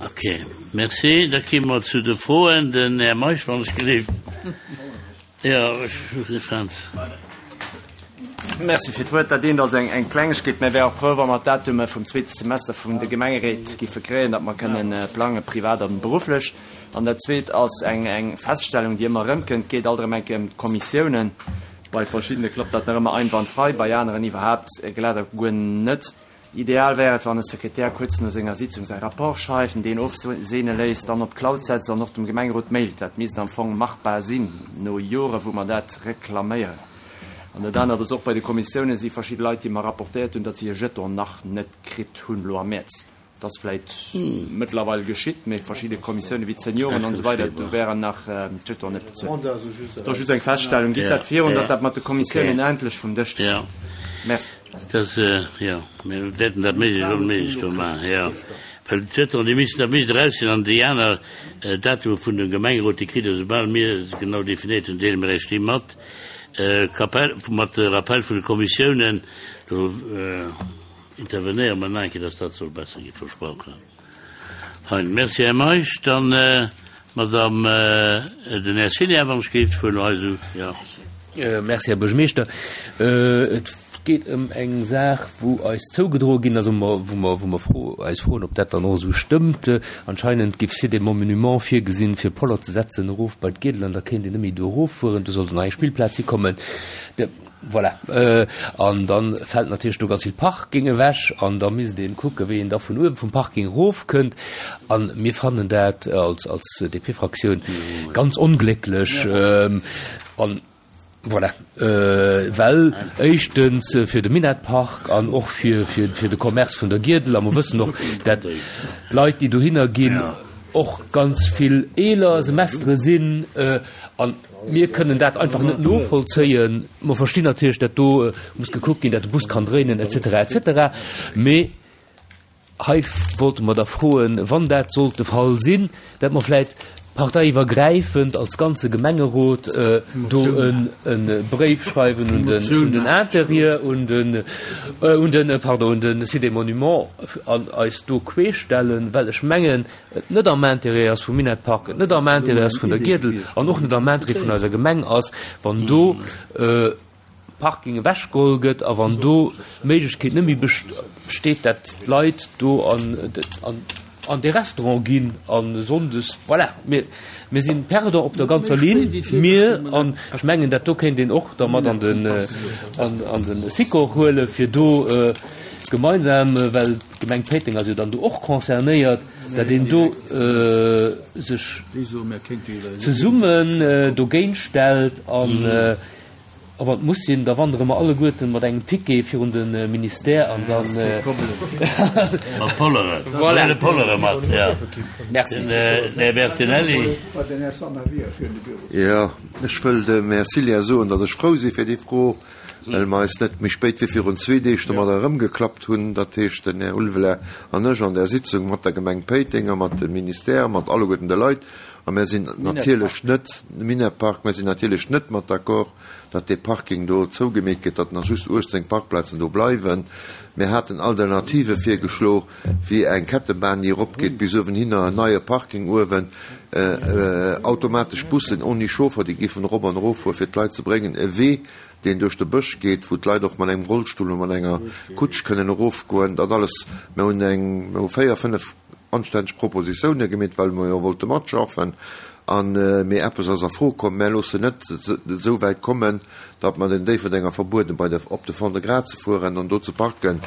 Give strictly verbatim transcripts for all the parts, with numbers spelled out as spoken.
Ok, merci. Da komme mer zu de Froen. Den Här Meisch, wann ech gelift. Jo, ech fand. Merci fir d'Wuert. Dat eent ass eng eng Klengegkeet. Mir wäre frou, wa mer d'Datume vum zweete Semester vun de Gemengeréit giffe kréien, datt mer kënnen plangen, privat an berufflech. An dat zweet ass eng eng Feststellung, déi ëmmer erëmkënnt, geet alt erëm eng Kéier ëm d'Kommissiounen. Bei verschiddene klappt dat nach ëmmer einwandfrei, bei aneren iwwerhaapt glat a guer net. Ideal wär et, wann e Sekretär kuerz no senger Sitzung säi Rapport schreift, en deen ofseene léisst, dann op d'Cloud setzt an och dem Gemengerot mailt. Dat misst am Fong machbar sinn, no Jore wou mer dat reklaméieren. An dat anert ass, och bei de Kommissiounen si verschidde Leit, déi mer rapportéiert hunn, datt si hir Jeton nach net kritt hunn elo am Mäerz. Dat ass vläit mëttlerweil geschitt, mee verschidde Kommissioune wéi d'Senioren an esou weider, do wären nach d'Jetonen net bezuelt. Dat ass just eng Feststellung. Gitt dat virun, datt dat mat de Kommissiounen endlech vum Dësch kënnt. Merci. Dat, jo, mir wäerten dat méiglechst onméiglech do maachen, jo. Well d'Jetonen, déi missten, dat misst eraus sinn. An déi aner Datume vun dem Gemengerot, déi kritt Der, soubal mir se genau definéiert hunn, deele mir Iech déi mat. Kapell, mat de Rappel vun de Kommissiounen, do. Intervenéiere mer nach eng Kéier, dass dat soll besser gi, versprochen. Hein, merci, Här Meisch. Dann d'Madame, den Här Cillien, wann ech géif d'Wuert elo hei esou, jo. Merci, Här Buergermeeschter. Et geet ëm eng Saach, wou eis zougedroe ginn ass, wou mer, wou mer, wou mer fro, eis froen, ob dat dann och esou stëmmt. Anscheinend géif Cité des Monuments virgesinn, fir Poller ze setzen erof bei d'Giedel an da kéint een net méi do eroffueren. Do sollt nach eng Spillplaz hikommen. Voilà. An da fält natierlech do ganz vill Parking ewech an da misst ee kucken, wéi een da vun uewe vum Parking erofkënnt. A mir fannen dat als, als D P-Fraktioun ganz onglécklech. An voilà, well éischtens fir de Minett-Park an och fir, fir, fir de Commerce vun der Giedel. A mer wëssen och, dat d'Leit, déi dohinner ginn, och ganz vill eeler Semestere sinn. An mir kënnen dat einfach net novollzéien. Mer verstinn natierlech, dat do muss gekuckt ginn, dat de Bus kann dréinen et cetera et cetera. Mee hei wollte mer da froen, wann dat sollt de Fall sinn, dat mer vläit parteiiwwergräifend als ganze Gemengerot do e Bréif schreiwen un den un den Intérieur, un den un den pardon, un de Site des Monuments an eis do queeschstellen, well ech mengen, et net am Intérêt ass vum Minett Park, et net am Intérêt ass vun der Giedel an och net am Intérêt vun eiser Gemeng ass, wann do Parking ewechgeholl gëtt a wann do d'Méiglechkeet net méi besteet, dat d'Leit do an an dee Restaurant ginn a sonndes. Voilà, mir mir si perdant op der ganzer Linn, mir. An ech mengen, dat do kéint een och da mat an den an de Sikor huelen, fir do gemeinsam, well d'Gemeng Péiteng ass jo dann do och concernéiert, dat een do sech zesummen dogéint stellt. An a wann et muss sinn, da wandere mer alleguerten mat engem Piquet virun de Ministère an dann. Mat Polleren. Voilà. Huele Pollere mat, jo. Merci. Den Här Bertinelli. Jo, ech wëll dem Här Cillien soen, datt ech frou si fir déi Fro, well mer eis net méi spéit wéi virun zwee Deeg domadder erëmgeklappt hunn, dat heescht den Här Ulveler an ech an där Sitzung mat der Gemeng Péiteng a mat dem Ministère, mat alleguerten de Leit. A mir sinn natierlech net, Minett-Park, mir sinn natierlech net mat d'accord, datt dee Parking do zougemeet gëtt, datt nach just uechtzéng Parkplazen do bleiwen. Mir haten Alternative virgeschlo, wéi eng Kettebahn, déi eropgeet bis uewenhinner, en neie Parking uewen, automatesch Bussen ouni Chauffer, déi géifen erop an eroffuere fir d'Leit ze bréngen, e Wee, deen duerch de Bësch geet, wou d'Leit och mat engem Rollstull oder mat enger Kutsch kënnen erofgoen. Dat alles, mir hunn eng, mir hu véier, fënnef anstänneg Propositiounen gemeet, well mer jo wollte matschaffen. An, mee eppes ass a Fro komm, Mär loossen net esou wäit kommen, datt mer den Déifferdenger verbueden, bei de, op de Fond-de-Gras ze fueren an do ze parken.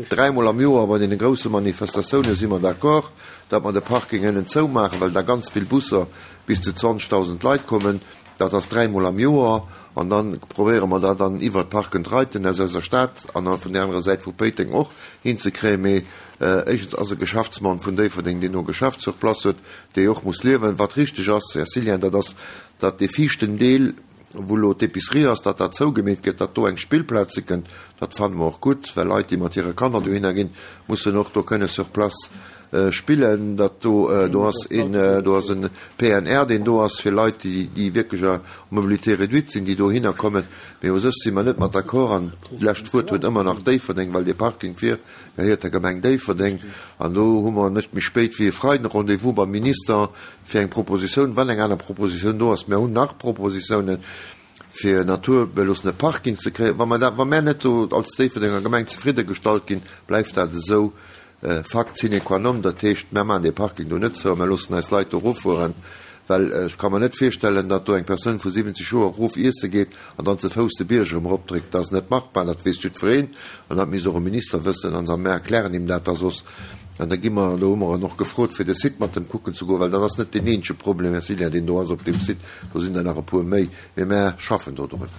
Dräimol am Joer bei deene grousse Manifestatioune si mer d'accord, datt mer de Parking ënnen zoumaachen, well da ganz vill Busser bis zu zwanzegdausend Leit kommen. Dat ass dräimol am Joer. An da probéiere mer dat dann iwwert Park and Riden aus eiser Stad an vun där anerer Säit vu Péiteng och hinzekréien. Mee éischtens ass e Geschäftsmann vun Déifferdeng, deen do e Geschäft sur place huet, dee och muss liewen. Wat richteg ass, Här Cillien, dat ass, datt dee viischten Deel, wou elo d'Épicerie ass, datt dat zougemeet gëtt, datt do eng Spillplaz hikënnt. Dat fanne mer och gutt, well Leit, déi mat hire Kanner dohinner ginn, mussen och do kënne sur place spillen, datt do, do ass een, do ass e P N R, deen do ass fir Leit, déi, déi wierklech à mobilité réduite sinn, déi dohinner kommen. Mee u sech si mer net mat d'accord an d'lescht Wuert huet ëmmer nach Déifferdeng, well dee Parking vir gehéiert der Gemeng Déifferdeng. An do hu mer net méi spéit wéi e Freiden Rendez-vous beim Minister fir eng Propositioun, wann eng aner Propositioun do ass. Mir hunn nach Propositiounen, fir naturbeloossene Parking ze kréien. Wa mer dat, wa mer net do als Déifferdenger Gemeng zefridde gestallt ginn, bleift dat esou. Fakt sine qua non, dat heescht, mer maachen dee Parking do net zou a mer loossen eis Leit do eroffueren, well ech ka mer net virstellen, datt do eng Persoun vu siwwenzeg Joer erof iesse geet an dann ze Fouss de Bierg erëm eropdréckt. Dat ass net machbar, dat weess jiddwereen an dat misst och e Minister wëssen an da mer erklären him dat da soss an da gi mer, do hu mer en och gefrot, fir de Site mat em kucken ze goen, well dat ass net deen eenzege Problem, Här Cillien, deen do ass op deem Site, do sinn der nach e puer méi, mee mer schaffen do drun.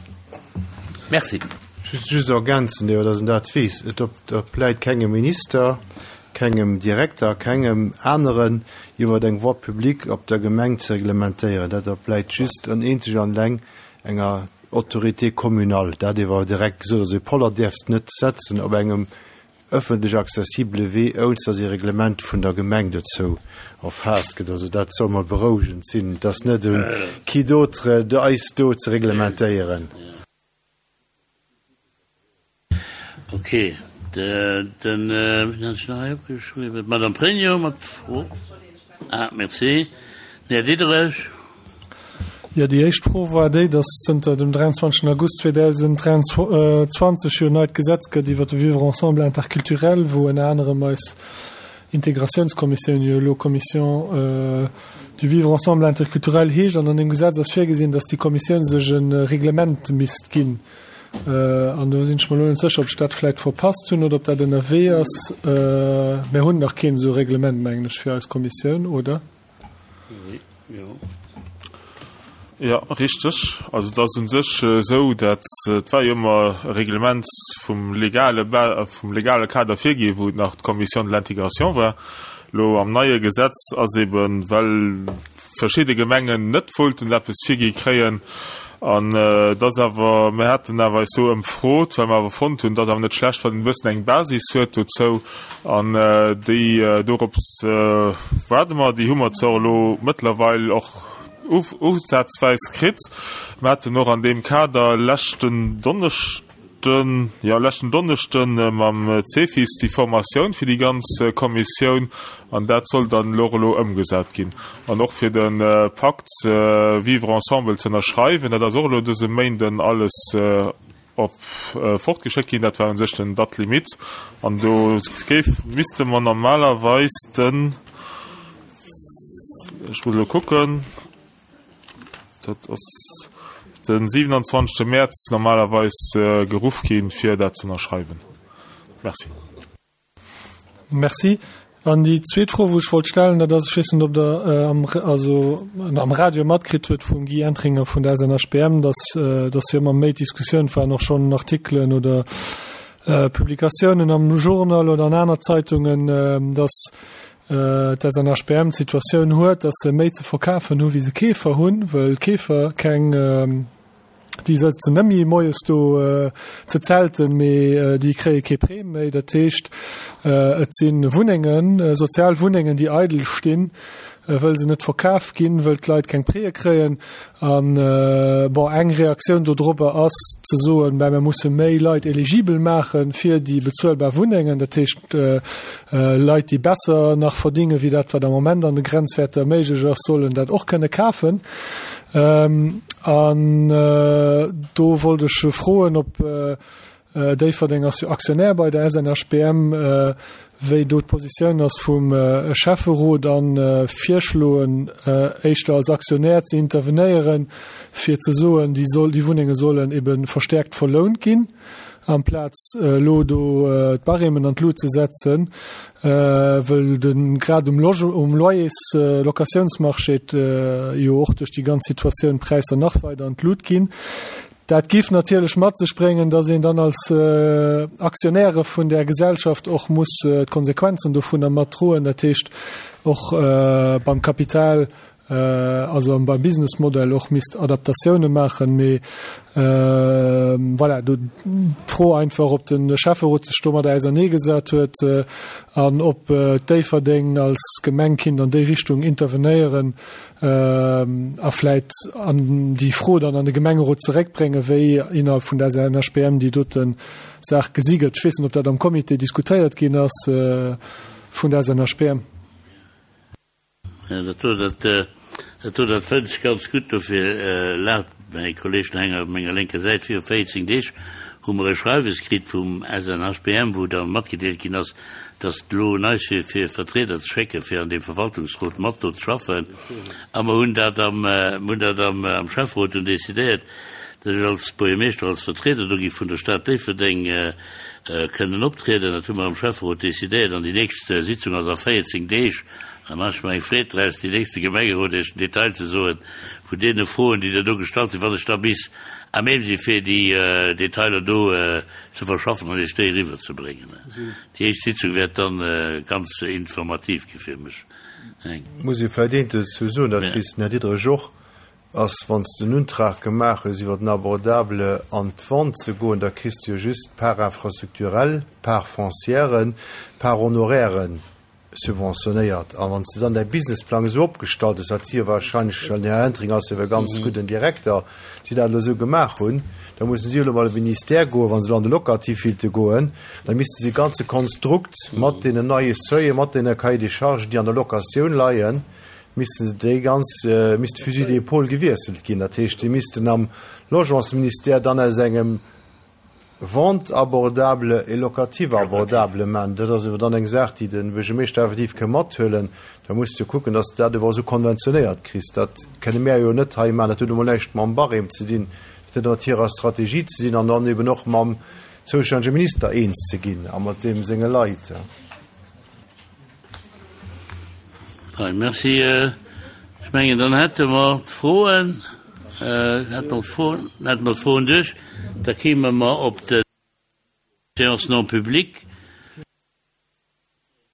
Merci. Just, just ergänzen, jo, datt en dat weess, Et opläit kengem Minister, kengem Direkter, kengem aneren iwwer eng Voie publique op der Gemeng ze reglementéieren. Dat opläit just an eenzeg an eleng enger Autorité communale. Dat ewer direkt gesot, also e Poller däerfs net setzen op engem ëffentlech accessibele Wee, ouni datt e Reglement vun der Gemeng dozou erfaasst gëtt. Also dat soll mol berouegend sinn, et ass net un qui d'autre eis do ze reglementéieren. Ok, den, wien hat ech nach hei opgeschriwwen? D'Madame Pregno mat Fro. Ah, merci. Den Här Diderich. Jo, déi éischt Fro war déi, dass zënter dem dräianzwanzegsten August zweedausend dräianzwanzeg jo en neit Gesetz gëtt iwwert de Vivre ensemble interculturel, wou ënner anerem eis Integratiounskommissioun jo elo Commission du vivre ensemble interculturel heescht. An an deem Gesetz ass virgesinn, dass déi Kommissioun sech e Reglement misst ginn. An do sinn ech mer elo net sécher, ob ech dat vläicht verpasst hunn oder ob dat ënnerwee ass. Mir hunn nach keen esou Reglement, mengen ech, fir eis Kommissioun, oder? Jo. Jo, richteg. Also et ass u sech esou, dat et war jo ëmmer e Reglement vum legale vum legale Kader virgi, wou et nach d'Commission de l'intégration war. Elo am neie Gesetz ass eben, well verschidde Gemengen net wollten eppes virgi kréien, an et ass awer, mir haten awer eis do ëmfrot, well mer awer fonnt hunn, et ass awer net schlecht, wann een e bëssen eng Basis huet dozou, an déi dorops waarde mer. Déi hu mer zwar elo mëttlerweil och usazweis kritt. Mir haten och an deem Kader leschten Donneschden, jo, leschten Donneschden mam Cefis déi Formatioun fir déi ganz Kommissioun, an dat soll dann elo och elo ëmgesat ginn. An och fir de Pakt Vivre ensemble ze ënnerschreiwen, dat ass och elo dëse Méinden alles op fortgeschéckt ginn. Dat war u sech den Date limite. An do géif, misste mer normalerweis den, ech muss elo kucken, dat ass den siewenundzwanzegste Mäerz normalerweis geruff ginn, fir dat ze ënnerschreiwen. Merci. Merci. An déi zweet Fro, wou ech wollt stellen, dat ass, ech weess net, ob Der am, also am Radio matkritt hutt vum Guy Entringer vun der S N H B M, dass, dass jo ëmmer méi Diskussioun waren, och schonn Artikelen oder Publikatiounen am Journal oder an aner Zeitungen, dass d'S N H B M d'Situatioun huet, dass se méi ze verkafen hu wéi se Keefer hunn, well d'Keefer keng, déi sëtzen net méi moies do ze zelten, mee déi kréie kee Prêt méi. Dat heescht, et si Wunnengen, sozial Wunnengen, déi eidel stinn, wëll se net verkaf ginn, wëll d'Leit keng Prêtë kréien. An bon, eng Reaktioun dodrobber ass ze soen, ben, mir musse méi Leit eligibel maache fir déi bezuelbar Wunnengen, dat heescht Leit, déi besser nach verdinge wéi dat, wat am Moment an de Grenzwäerter méiglech ass, sollen dat och kënne kafen. An do wollt ech froen, ob Déifferdeng ass jo Aktionär bei der S N H B M, wéi do d'Positioun ass vum Schäfferot a virschloen, éischter als Aktionär ze intervenéieren, fir ze soen, déi soll, déi Wunnenge sollen ebe verstärkt verlount ginn, amplaz elo do d'Barèmen an d'Lut ze setzen, wëll de grad um Loge, um Loyers, Locatiounsmarché jo och duerch déi ganz Situatioun d'Präisser nach weider an d'Lut ginn. Dat giff natierlech mat sech bréngen, dass een dann als Aktionäre vun där Gesellschaft och muss d'Konsequenzen dovunner mat droen, dat heescht och beim Kapital also beim Businessmodell och misst Adaptatioune maachen. Mee voilà, do d'Fro einfach, ob de Schäfferot sech domadder auserneegesat huet an ob Déifferdeng als Gemeng kinnt an déi Richtung intervenéieren a vläit an déi Fro dann an de Gemengerot zeréckbréngen, wéi innerhalb vun der SNHBM déi dote Saach gesi gëtt. Ech weess net, ob dat am Comité diskutéiert ginn ass vun der SNHBM. Jo, dat do, dat, dat do, dat fënnt ech ganz gutt. Dofir laacht mäi Kolleeg den Henger op menger lénker Säit. Viru véierzéng Deeg hu mer e Schreiwes kritt vum S N H B M, wou dann matgedeelt ginn ass, dass et elo un eis wier, fir Vertrieder ze schécken, fir an deem Verwaltungsrot mat do ze schaffen. A mer hunn dat am, mer hunn dat am, am Schäfferot dunn decidéiert, dass ech als Buergermeeschter, als Vertrieder do gi vun der Stad Déifferdeng kënnen optrieden. Dat hu mer am Schäfferot decidéiert an déi nächst Sitzung ass a véierzéng Deeg. Da maache ech mer eng Freed draus, déi nächste Gemengerot Iech den Detail ze soen vun deene Froen, déi Der do gestallt hunn, wann ech da bis à même si fir déi Detailer do ze verschaffen an Iech déi eriwwerzebréngen. Déi éischt Sitzung wäert dann ganz informativ gi fir mech. Muss ee vläicht eent dozou soen, dat weess den Här Diderich och, ass, wann s de en Untrag gemaach hues iwwer den Abordable an d'Vente ze goen, da kriss de jo just d'Part infrastructurelle, d'Part foncière, d'Part honoraire subventionéiert. A wann s de dann däi Businessplang esou opgestallt hues, wat si jo wahrscheinlech, well den Här Entringer ass jo e ganz gudden Direkter, si dat elo esou gemaach hunn, da mussen si elo bei de Ministère goen, wa se elo an de Locatif willte goen, da misste si e ganze Konstrukt mat deenen neie Seuilen, mat deene Cahiers des charges, déi an der Locatioun leien, misste se déi ganz, misst de Fusil d'épaule gewiesselt ginn. Dat heescht, si missten am Logementsministère dann aus engem Vente abordable et locative abordable maachen. Dat ass awer dann eng Saach, déi de Buergermeeschter effektiv ka mathuelen. Da muss de kucken, dass de dat awer esou konventionéiert kriss. Dat kënne mär jo net hei maachen. Dat huet emol näischt mam Barème ze dinn. Dat huet mat hirer Strategie ze dinn an dann eben och mam zoustännege Minister eens ze ginn a mat deem senge Leit. Fein, merci. Ech mengen, dann hätte mer d'Froen, hätte mer d'Froen, hätte mer d'Froen duerch. Da kéime mer op de Séance non publique.